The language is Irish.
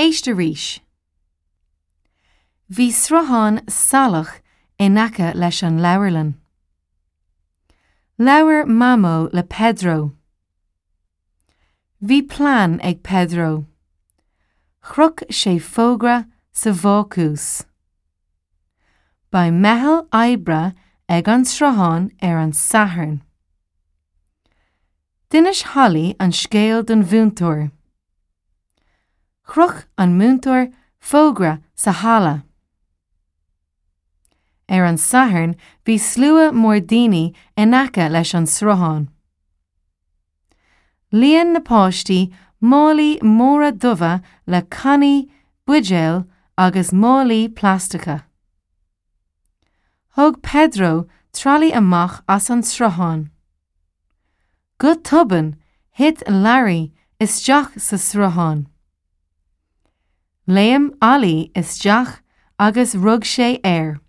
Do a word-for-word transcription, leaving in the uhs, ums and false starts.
Éist arís. Bhí sruthán salach in aice leis an leabharlann. Labhair Mamó le Pedro. Bhí plean ag Pedro. Chroch sé fógra sa bhácús. Beidh meitheal oibre ag an sruthán ar an Satharn. D'inis Holly an scéal don mhúinteoir. Chroch an múinteoir fógra sa halla. Ar an Satharn bhí slua mór daoine in aice leis an sruthán. Líon na páistí málaí móra dubha le cannaí, buidéil agus málaí plaisteacha. Thóg Pedro tralaí amach as an sruthán. Go tobann thit Larry isteach sa sruthán. Léim Ollie isteach agus rug sé air.